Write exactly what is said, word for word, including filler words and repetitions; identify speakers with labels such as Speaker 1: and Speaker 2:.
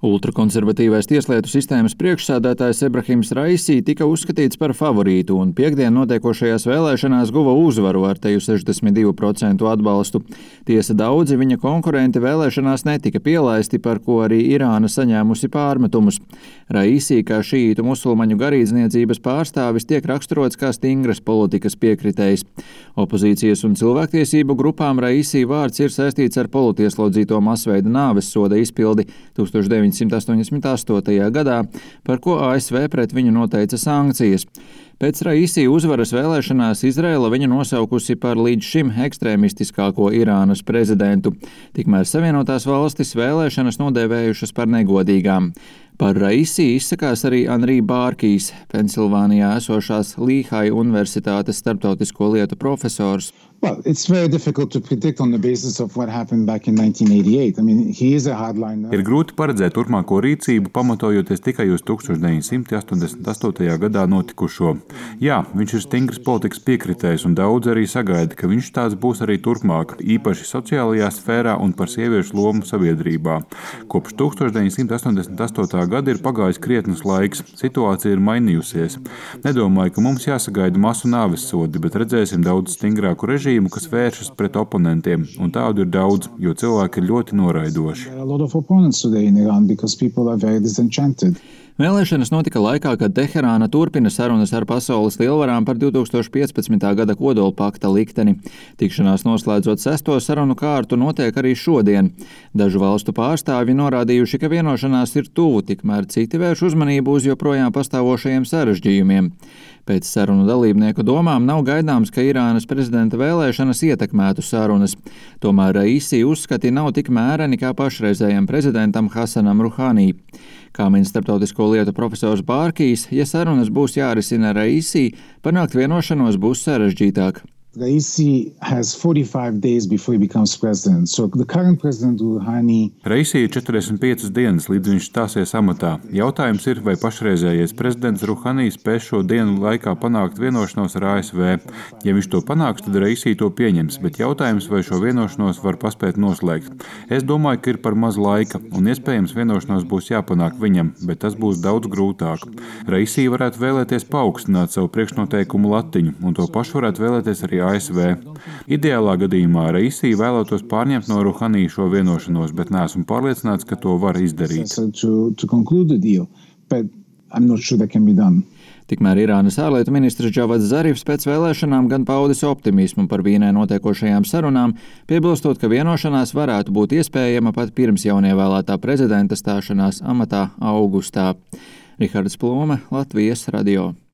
Speaker 1: Ultrakonservatīvais tieslietu sistēmas priekšsēdētājs Ebrahims Raisi tika uzskatīts par favorītu un piektdien notiekošajās vēlēšanās guva uzvaru ar teju sešdesmit divu procentu atbalstu. Tiesa daudzi viņa konkurenti vēlēšanās netika pielaisti, par ko arī Irāna saņēmusi pārmetumus. Raisi, kā šīītu musulmaņu garīdzniecības pārstāvis, tiek raksturots kā stingras politikas piekritējs. Opozīcijas un cilvēktiesību grupām Raisi vārds ir saistīts ar politieslodzīto masveida nāves soda izpildi tūkstoš deviņsimt astoņdesmit astotajā gadā, par ko A S V pret viņu noteica sankcijas. Pēc Raisi uzvaras vēlēšanās Izraela viņu nosaukusi par līdz šim ekstrēmistiskāko Irānas prezidentu. Tikmēr Savienotās valstis vēlēšanas nodēvējušas par negodīgām. Par Raisi izsakās arī Anrī Bārkijs, Pensilvānijā esošās Līhai Universitātes starptautisko lietu profesors.
Speaker 2: Well, it's very difficult to predict on the basis of what happened back in nineteen eighty-eight. I mean, he is a hardliner.
Speaker 3: Ir grūti paredzēt turpmāko rīcību, pamatojoties tikai uz tūkstoš deviņsimt astoņdesmit astotajā gadā notikušo. Jā, viņš ir stingrs politikas piekritējs un daudz arī sagaida, ka viņš tāds būs arī turpmāk, īpaši sociālajā sfērā un par sieviešu lomu sabiedrībā. Kopš tūkstoš deviņsimt astoņdesmit astotā gada ir pagājis krietnus laiks, situācija ir mainījusies. Nedomāju, ka mums jāsagaida masu nāves sodi, bet redzēsim daudz stingrāku režīmu, kas vēršas pret oponentiem, un tādu ir daudz, jo cilvēki ir ļoti noraidoši.
Speaker 1: Vēlēšanas notika laikā, kad Teherāna turpina sarunas ar pasaules lielvarām par divtūkstoš piecpadsmitā gada kodolpakta likteni. Tikšanās noslēdzot sesto sarunu kārtu notiek arī šodien. Dažu valstu pārstāvji norādījuši, ka vienošanās ir tuvu, tikmēr citi vērš uzmanību uz joprojām pastāvošajiem sarežģījumiem. Pēc sarunu dalībnieku domām nav gaidāms, ka Irānas prezidenta vēlēšanas ietekmētu sarunas. Tomēr Raisi uzskati nav tik mēreni kā pašreizējam prezidentam Hasanam Ruhanī. Kā min starptautisko lietu profesors Bārkijs, ja sarunas būs jārisina Raisi, panākt vienošanos būs sarežģītāk.
Speaker 2: Raisi has forty-five days before he becomes president. So the current president Rouhani.
Speaker 3: Raisi ir četrdesmit piecas dienas, līdz viņš stāsies amatā. Jautājums ir, vai pašreizējais prezidents Rouhani spēs šo dienu laikā panākt vienošanos ar A S V. Ja viņš to panāks, tad Raisi to pieņems, bet jautājums, vai šo vienošanos var paspēt noslēgt. Es domāju, ka ir par maz laika, un iespējams vienošanos būs jāpanāk viņam, bet tas būs daudz grūtāk. Raisi varētu vēlēties paaugstināt savu priekšnoteikumu latiņu, un to pašu varētu vēlēties arī A S V. Ideālā gadījumā Raisi vēlētos pārņemt no Rouhani šo vienošanos, bet neesmu pārliecināts, ka to var izdarīt.
Speaker 1: Tikmēr Irānas ārlietu ministrs Džavads Zarifs pēc vēlēšanām gan paudis optimismu par Vīnē notiekošajām sarunām, piebilstot, ka vienošanās varētu būt iespējama pat pirms jaunievēlētā prezidenta stāšanās amatā augustā. Rihards Plūme, Latvijas radio.